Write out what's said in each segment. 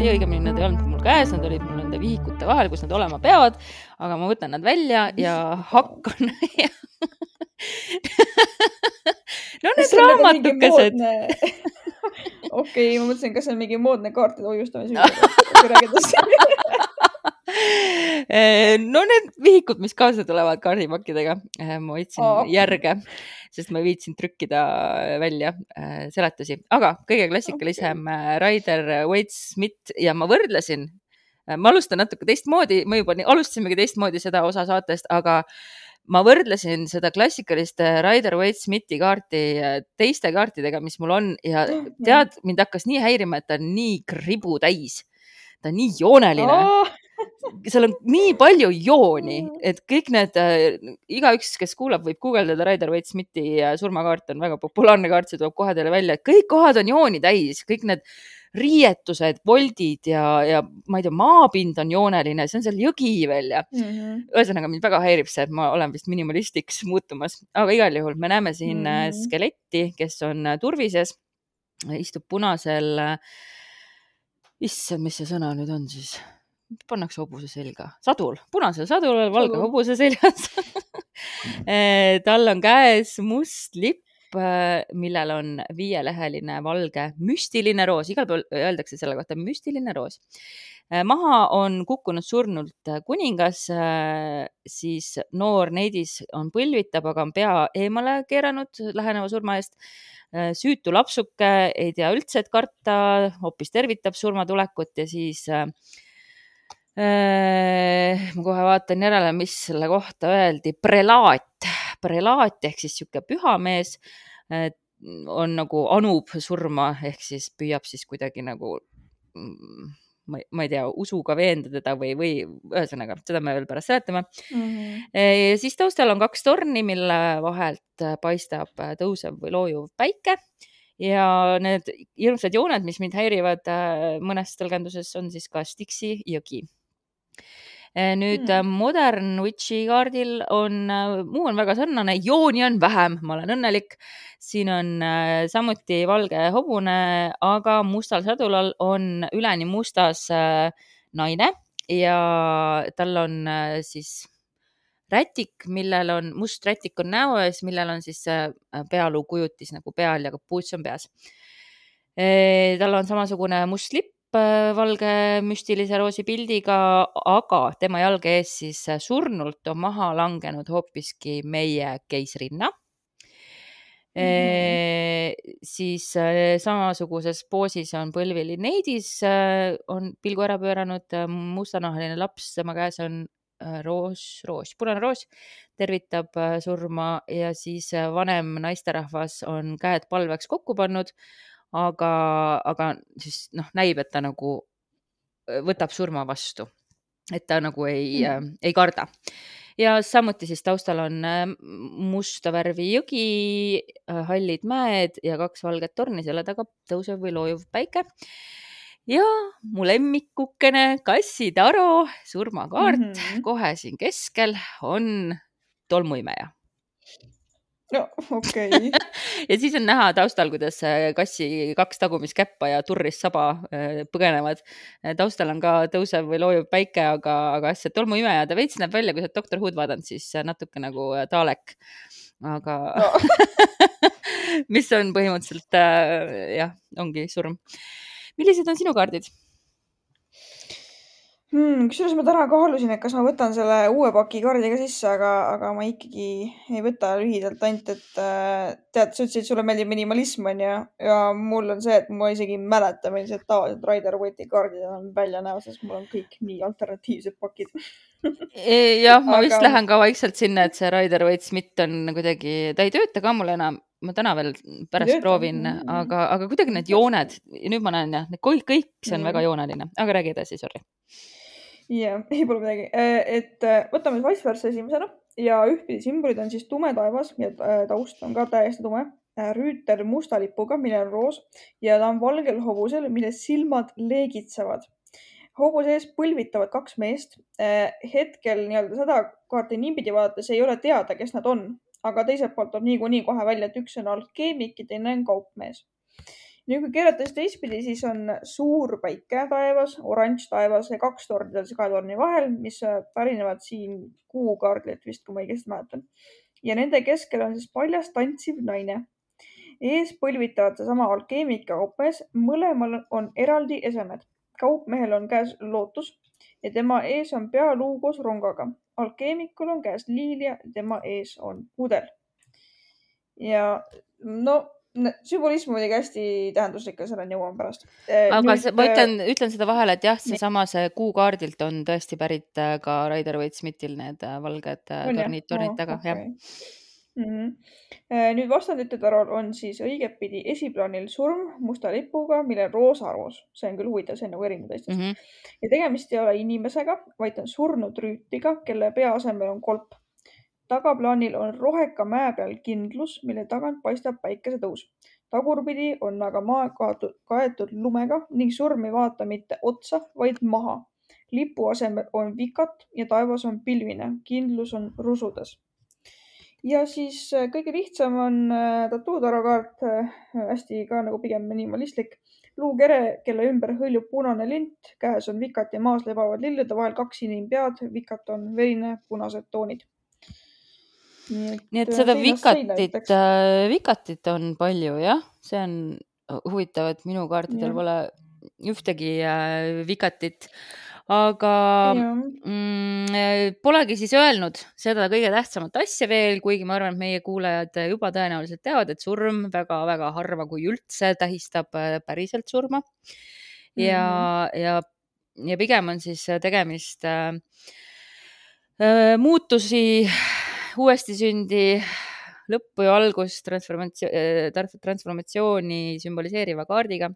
kaarti, õigemini nad ei olnud mul käes, nad olid mul nende vihikute vahel, kus nad olema peavad, aga ma võtan nad välja ja hakkan no need raamatukesed. Okei, ma mõtlesin, kas see on mingi moodne kaartide hoiustamise. No need vihikud, mis kaasa tulevad kaardipakkidega, ma võtsin järge, sest ma ei viitsin trükkida välja seletusi, aga kõige klassikalisem Rider-Waite-Smith ja ma võrdlesin, ma alustan natuke teistmoodi, ma juba alustasimegi teistmoodi seda osa saatest, aga ma võrdlesin seda klassikalist Rider-Waite-Smithi kaarti teiste kaartidega, mis mul on ja tead, mind hakkas nii häirima, et ta on nii kribu täis, ta on nii jooneline. Seal on nii palju jooni, et kõik need, igaüks, kes kuulab, võib guugeldada Rider-Waite-Smithi surmakaart, on väga populaarne kaart, see tuleb kohe teile välja, et kõik kohad on jooni täis, kõik need riietused, voldid ja ma ei tea, maapind on jooneline, see on seal jõgi veel ja ühesõnaga mind väga häirib see, et ma olen vist minimalistiks muutumas, aga igal juhul me näeme siin skeletti, kes on turvises, istub punasel, issand, mis see sõna nüüd on siis? Pannakse hobuse selga, sadul, punasel sadul, valge hobuse seljas. Tal on käes must lipp, millel on 5-leheline valge müstiline roos, igal pool öeldakse selle kohta müstiline roos. Maha on kukkunud surnult kuningas, siis noor neidis on põlvitab, aga on pea eemale keeranud läheneva surma eest. Süütu lapsuke ei tea üldse, et karta, hoopis tervitab surmatulekut ja siis ma kohe vaatan järele, mis selle kohta öeldi. Prelaat ehk siis siuke pühamees on nagu anub surma ehk siis püüab siis kuidagi nagu, ma ei tea, usuga veenda teda või ühesõnaga, seda me veel pärast seletame. Ja siis taustal on 2 torni, mille vahelt paistab tõusev või loojuv päike. Ja need hirmsad jooned, mis mind häirivad mõnes tõlgenduses, on siis ka Styxi jõgi. Nüüd Modern Witchi kaardil muu on väga sarnane, jooni on vähem, ma olen õnnelik. Siin on samuti valge hobune, aga mustal sadulal on üleni mustas naine ja tal on siis rätik, millel on, must rätik on näo ees, millel on siis pealuu kujutis nagu peal ja kapuuts on peas. Tal on samasugune must lipp, valge müstilise roosi pildiga, aga tema jalge ees siis surnult on maha langenud hoopiski meie keisrinna. Siis samasuguses poosis on põlvili neidis, on pilgu ära pööranud, mustanahaline laps, tema käes on punane roos, tervitab surma ja siis vanem naisterahvas on käed palveks kokku pannud, aga siis näib, et ta nagu võtab surma vastu, et ta nagu ei karda. Ja samuti siis taustal on musta värvi jõgi, hallid mäed ja 2 valget torni, selle taga tõusev või loojuv päike. Ja mu lemmikukene kassitaro, surmakaart, kohe siin keskel on tolmuimeja. No, okei. Ja siis on näha taustal, kuidas kassi 2 tagumiskäppa ja turris saba põgenevad. Taustal on ka tõusev või loojuv päike, aga see tolmuimeja, ta veits näeb välja, kui sa Dr. Who'd vaadanud, siis natuke nagu Dalek. Aga mis on põhimõtteliselt, ongi surm. Millised on sinu kaardid? Kusjuures ma täna kaalusin, et kas ma võtan selle uue paki kaardiga sisse, aga ma ikkagi ei võta lühidalt ainult, et tead, sa ütlesid, et sulle meeldib minimalism on ja mul on see, et ma isegi mäleta, millised tavalised Rider-Waite'i kaardid on välja näo, sest mul on kõik nii alternatiivsed pakid. Jah, ma vist lähen ka vaikselt sinna, et see Rider-Waite-Smith on kuidagi, ta ei tööta ka mul enam, ma täna veel pärast proovin, aga kuidagi need jooned, nüüd ma näen kõik see on väga jooneline, aga räägi edasi, sorry. Jah, ei pole midagi. Et võtame vice versa esimesena ja ühtpidi sümbolid on siis tume taevas ja taust on ka täiesti tume. Rüütel musta lipuga, mille on roos ja ta on valgel hobusel, mille silmad leegitsevad. Hobuse ees põlvitavad 2 meest. Hetkel seda kaarti niipidi vaadates ei ole teada, kes nad on, aga teiselt poolt on niikuinii kohe välja, et üks on alkeemik ja teine on kaupmees. Nüüd, kui keerata siis teistpidi, siis on suur päike taevas, oranž taevas ja 2 torni seal 2 torni vahel, mis pärinevad siin kuukaardilt vist, kui ma õigesti mäletan. Ja nende keskel on siis paljas tantsiv naine. Ees põlvitavad seesama alkeemik ja kaupmees. Mõlemal on eraldi esemed. Kaupmehel on käes lootus ja tema ees on pealuu koos rongaga. Alkeemikul on käes liilia, tema ees on pudel. Ja no, sümbolism muidugi hästi tähenduslik ja selleni jõuan pärast. Aga ma ütlen seda vahele, et jah, see kuukaardilt on tõesti pärit ka Rider-Waite-Smithil need valged tornid taga. Okay. Nüüd vastandite tarol on siis õigetpidi esiplaanil surm musta lipuga, millel roosa roos. See on küll huvitav, see on nagu erinev teistest. Ja tegemist ei ole inimesega, vaid on surnud rüütliga, kelle pea asemel on kolp. Tagaplaanil on roheka mäe peal kindlus, mille tagant paistab päikesetõus. Tagurpidi on aga maa kaetud lumega ning surm ei vaata mitte otsa, vaid maha. Lipu asemel on vikat ja taevas on pilvine. Kindlus on rusudes. Ja siis kõige lihtsam on tatuudarokaart, hästi ka nagu pigem minimalistlik. Luukere, kelle ümber hõljub punane lint, käes on vikat ja maas lebavad lillede vahel 2 inimpead, vikat on verine, punased toonid. Nii et seda vikatit on palju, jah. See on huvitav, et minu kaartidel pole ühtegi vikatit. Aga polegi siis öelnud seda kõige tähtsamat asja veel, kuigi ma arvan, et meie kuulajad juba tõenäoliselt teavad, et surm väga-väga harva, kui üldse tähistab päriselt surma. Ja pigem on siis tegemist muutusi, uuesti sündi, lõppu ja algust, transformatsiooni sümboliseeriva kaardiga.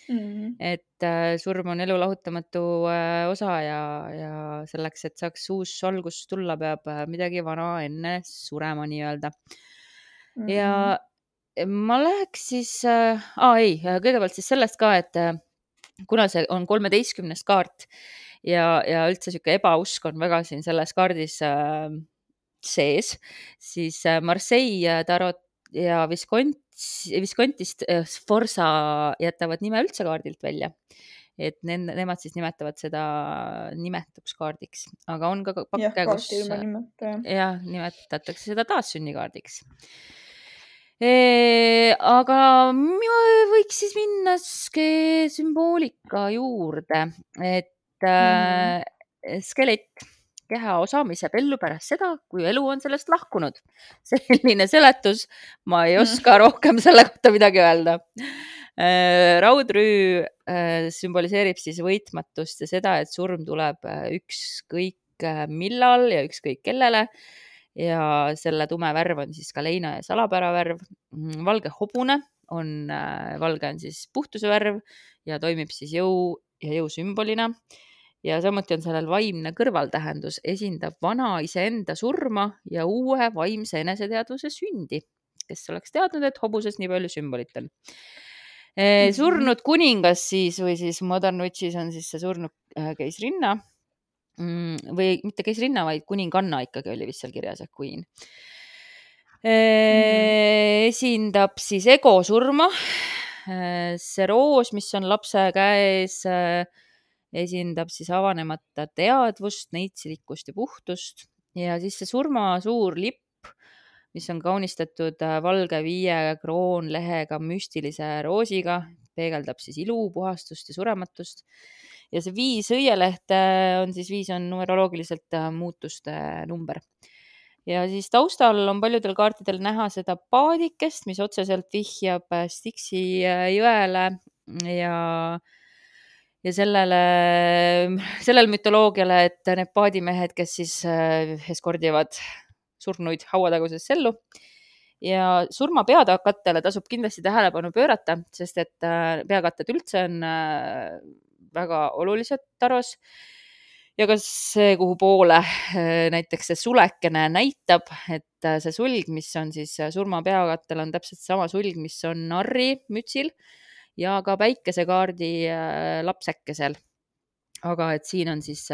Et surm on elu lahutamatu osa ja selleks, et saaks uus algus tulla, peab midagi vana enne surema nii-öelda. Ja ma läheks siis, kõigepealt siis sellest ka, et kuna see on 13. kaart ja üldse siuke ebausk on väga siin selles kaardis sees, siis Marseille tarot ja Viscontist Sforza jätavad nime üldse kaardilt välja. Et nemad siis nimetavad seda nimetuskaardiks, aga on ka pakke, kus nimetatakse seda taassünnikaardiks. Aga võiks siis minna sümboolika juurde, et skelett, kehaosa, mis jääb ellu pärast seda, kui elu on sellest lahkunud. Selline seletus, ma ei oska rohkem selle kohta midagi öelda. Raudrüü sümboliseerib siis võitmatust ja seda, et surm tuleb ükskõik millal ja ükskõik kellele. Ja selle tume värv on siis ka leina ja salapära värv. Valge hobune valge on siis puhtuse värv ja toimib siis jõu ja jõu sümbolina. Ja samuti on sellel vaimne kõrvaltähendus, esindab vana iseenda surma ja uue vaimse eneseteadvuse sündi, kes oleks teadnud, et hobuses nii palju sümbolit on. Surnud kuningas siis või siis Modern Witchis on siis see surnud keisrinna või mitte keisrinna, vaid kuninganna ikkagi oli vist seal kirjas, queen. Esindab siis ego surma. See roos, mis on lapse käes, esindab siis avanemata teadvust, neitsilikkust ja puhtust. Ja siis see surma suur lipp, mis on kaunistatud valge 5 kroonlehega müstilise roosiga, peegeldab siis ilu, puhastust ja surematust. Ja see 5 õielehte on siis 5 on numeroloogiliselt muutuste number. Ja siis taustal on paljudel kaartidel näha seda paadikest, mis otseselt vihjab Styxi jõele ja sellel mütoloogiale, et need paadimehed, kes siis eskordivad surnuid hauataguses sellu. Ja surma peakattele tasub kindlasti tähelepanu pöörata, sest et peakatted üldse on väga olulised taros. Ja ka see, kuhu poole näiteks see sulekene näitab, et see sulg, mis on siis surma peakattel, on täpselt sama sulg, mis on narri mütsil ja ka päikesekaardi lapsekesel. Aga et siin on siis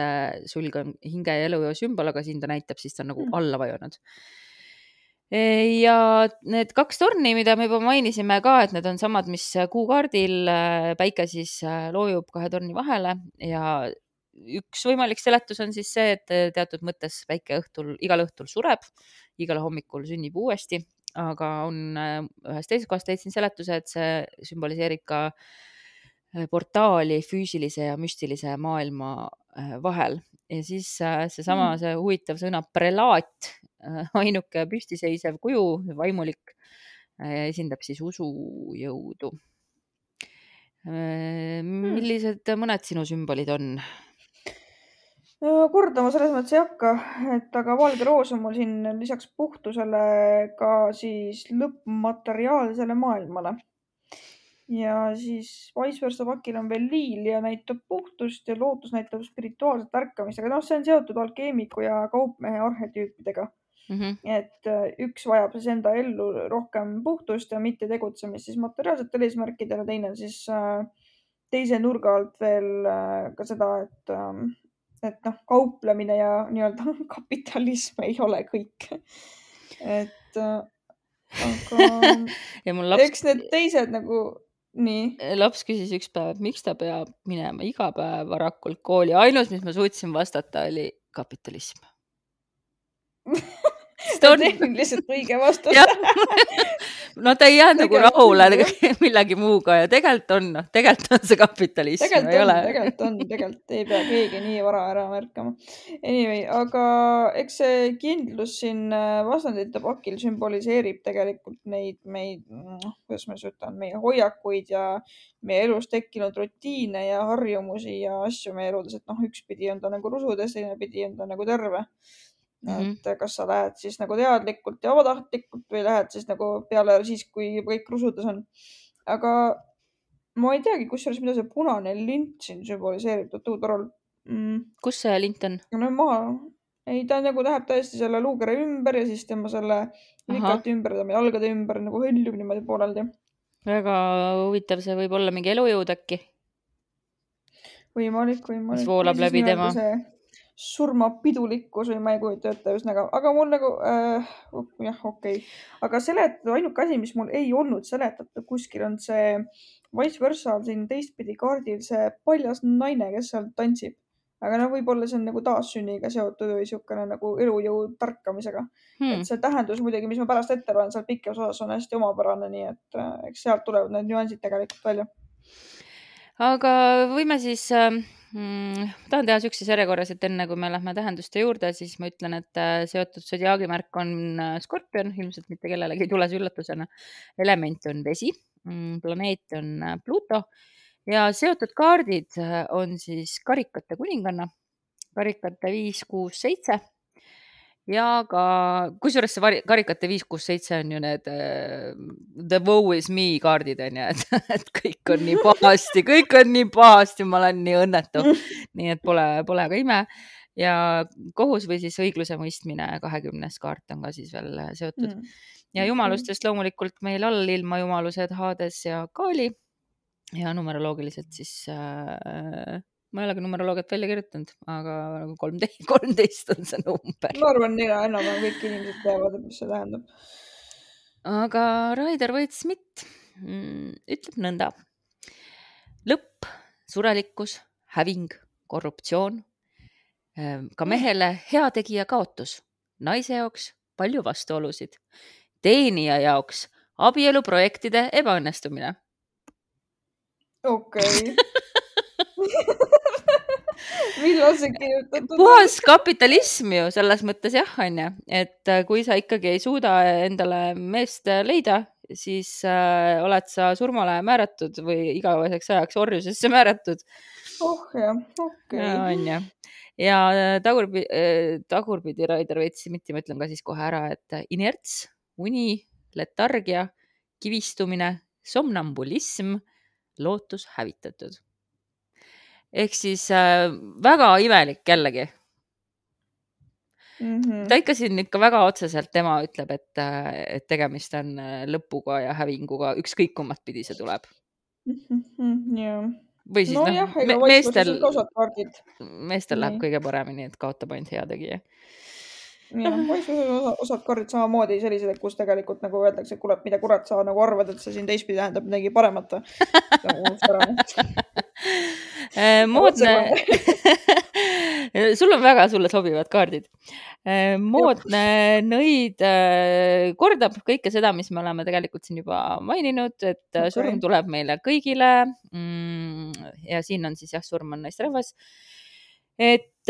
sulg on hinge ja elujõu sümbol, aga siin ta näitab, siis ta on nagu alla vajunud. Ja need 2 torni, mida me juba mainisime ka, et need on samad, mis kuukaardil, päike siis loojub 2 torni vahele ja üks võimalik seletus on siis see, et teatud mõttes päike igal õhtul sureb, igal hommikul sünnib uuesti, aga on ühes teises kohas leidsin seletuse, et see sümboliseerib ka portaali füüsilise ja müstilise maailma vahel. Ja siis seesama, see huvitav sõna prelaat, ainuke püstiseisev kuju, vaimulik, esindab siis usujõudu. Millised mõned sinu sümbolid on? Kordama selles mõttes ei hakka, et aga valge roos on mul siin lisaks puhtusele ka siis lõppmateriaalsele maailmale. Ja siis vice versa pakil on veel liil ja näitab puhtust ja lootus näitab spirituaalset ärkamist, aga see on seotud alkeemiku ja kaupmehe arhetüüpidega. Et üks vajab siis enda ellu rohkem puhtust ja mitte tegutsemist siis materiaalsetel eesmärkidel ja teine siis teise nurga alt veel ka seda, et kauplemine ja nii-öelda kapitalism ei ole kõik. Et aga ja mul laps... eks need teised nagu nii. Laps küsis üks päev, et miks ta peab minema iga päev varakult kooli. Ainus, mis ma suutsin vastata, oli kapitalism. See on lihtsalt õige vastus. No ta ei jäänud nagu rahule millegi muuga ja tegelikult on see kapitalism. Tegelikult ei pea keegi nii vara ära märkama. Anyway, aga eks see kindlus siin vastandite pakil sümboliseerib tegelikult meid, kuidas ma ütlen, meie hoiakuid ja meie elus tekkinud rutiine ja harjumusi ja asju meie eludes, et üks pidi on ta nagu rusudes, teine pidi on ta nagu terve. Et kas sa lähed siis nagu teadlikult ja vabatahtlikult või lähed siis nagu peale siis, kui kõik rusudes on. Aga ma ei teagi, kusjuures mida see punane lint siin sümboliseerib tuutorol. Kus see lint on? No maha. Ei, ta nagu läheb täiesti selle luukere ümber ja siis tema selle likati ümber, ta meie jalgade ümber nagu hõljub niimoodi pooleldi. Väga huvitav, see võib olla mingi elujõud äkki. Võimalik. Mis voolab läbi tema. Surmapidulikkus või ma ei kujuta ette üsnaga, aga mul nagu okei. Aga seletatud ainuke asi, mis mul ei olnud seletatud kuskil on see vice versa siin teistpidi kaardil see paljas naine, kes seal tantsib. Aga võib-olla see on nagu taassünniga seotud või siukene nagu elujõu tarkamisega. Et see tähendus muidugi, mis ma pärast ette loen, seal pikas osas on hästi omapärane, nii et eks sealt tulevad need nüansid tegelikult välja. Aga võime siis... tahan teha sükses järjekorras, et enne kui me lähme tähenduste juurde, siis ma ütlen, et seotud sodiaagimärk on Skorpion, ilmselt mitte kellelegi ei tule see üllatusena. Element on vesi, planeet on Pluto ja seotud kaardid on siis karikate kuninganna, karikate 5, 6, 7 ja ka, kusjuures see karikate 5, 6, 7 on ju need the woe is me kaardid on ju, et kõik on nii pahasti, ma olen nii õnnetu, nii et pole ka ime. Ja kohus või siis õigluse mõistmine 20. kaart on ka siis veel seotud. Ja jumalustest loomulikult meil all ilmajumalused Hades ja Kaali ja numeroloogiliselt siis... ma ei ole ka numeroloogiat välja kirjutanud, aga 13 on see number. Ma arvan, enam kõik inimesed teavad, mis see tähendab. Aga Raider Waite-Smith ütleb nõnda. Lõpp, surelikkus, häving, korruptsioon, ka mehele heategija kaotus, naise jaoks palju vastuolusid, teenija jaoks abieluprojektide ebaõnnestumine. Okei. Millal see kirjutatud? Puhas kapitalism ju selles mõttes jah, on ju, et kui sa ikkagi ei suuda endale meest leida, siis oled sa surmale määratud või igaveseks ajaks orjusesse määratud. Jah, okei. On ju. Ja tagurpidi Raider Waite-Smithi ma ütlen ka siis kohe ära, et inerts, uni, letargia, kivistumine, somnambulism, lootus hävitatud. Ehk siis väga imelik jällegi. Ta ikka siin ikka väga otseselt tema ütleb, et tegemist on lõpuga ja hävinguga, ükskõik kummat pidi see tuleb. Või siis meestel läheb kõige paremini, et kaotab ainult heategija. jah, osad kaardid samamoodi sellised, kus tegelikult nagu öeldakse, et kuule, mida kurat sa nagu arvad, et see siin teistpidi tähendab midagi paremat. moodne sulle sobivad kaardid. Moodne nõid kordab kõike seda, mis me oleme tegelikult siin juba maininud, et surm tuleb meile kõigile. Ja siin on siis jah, surm on naisterahvas. Et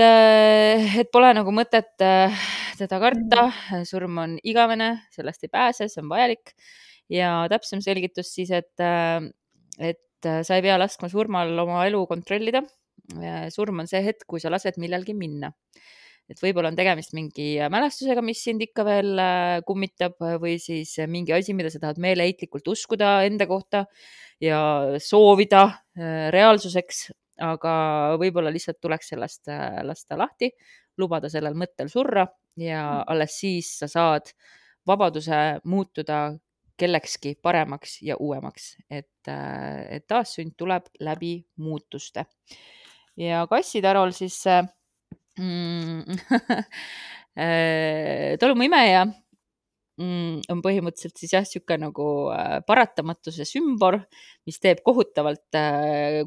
pole nagu mõtet teda karta, surm on igavene, sellest ei pääse, see on vajalik. Ja täpsem selgitus siis, et sa ei pea laskma surmal oma elu kontrollida. Surm on see hetk, kui sa lased millelgi minna. Et võib-olla on tegemist mingi mälestusega, mis sind ikka veel kummitab või siis mingi asi, mida sa tahad meeleheitlikult uskuda enda kohta ja soovida reaalsuseks, aga võib-olla lihtsalt tuleks sellest lasta lahti, lubada sellel mõttel surra ja alles siis sa saad vabaduse muutuda kellekski paremaks ja uuemaks, et taassünd tuleb läbi muutuste. Ja kassitarol siis tolmuimeja on põhimõtteliselt siis jah, siuke nagu paratamatuse sümbol, mis teeb kohutavalt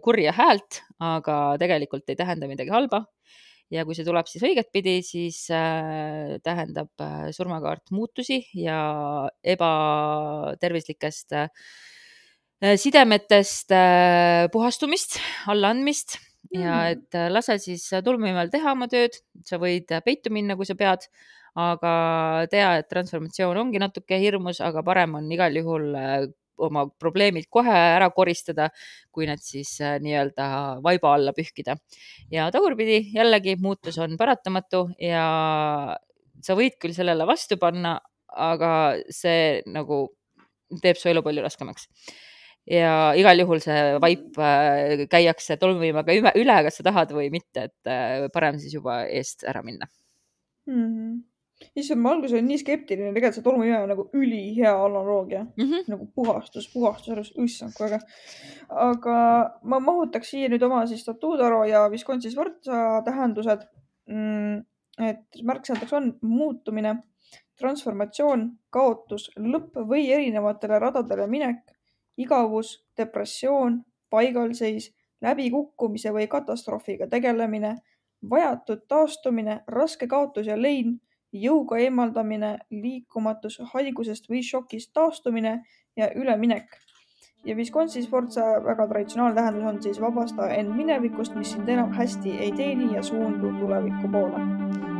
kurja häält, aga tegelikult ei tähenda midagi halba. Ja kui see tuleb siis õiget pidi, siis tähendab surmakaart muutusi ja ebatervislikest sidemetest puhastumist, allaandmist ja et lase siis tolmuimel teha oma tööd, sa võid peitu minna, kui sa pead, aga tea, et transformatsioon ongi natuke hirmus, aga parem on igal juhul oma probleemid kohe ära koristada, kui need siis nii-öelda vaiba alla pühkida. Ja tagurpidi jällegi muutus on paratamatu ja sa võid küll sellele vastu panna, aga see nagu teeb su elu palju raskemaks. Ja igal juhul see vaip käiakse tolmuimaga üle, kas sa tahad või mitte, et parem siis juba eest ära minna. Issand, ma alguses olin nii skeptiline, tegelikult see tolmuime on nagu ülihea analoogia. Nagu puhastus, issand, kui äge. Aga ma mahutaks siia nüüd oma siis Statutaro ja Visconti Sforza tähendused. Et märksõnadeks on muutumine, transformatsioon, kaotus, lõpp või erinevatele radadele minek, igavus, depressioon, paigalseis, läbikukkumise või katastroofiga tegelemine, vajatud taastumine, raske kaotus ja lein, jõuga eemaldamine, liikumatus, haigusest või šokist taastumine ja üleminek. Ja Visconti Sforza väga traditsionaalne tähendus on siis vabasta end minevikust, mis sind enam hästi ei teeni ja suundu tuleviku poole.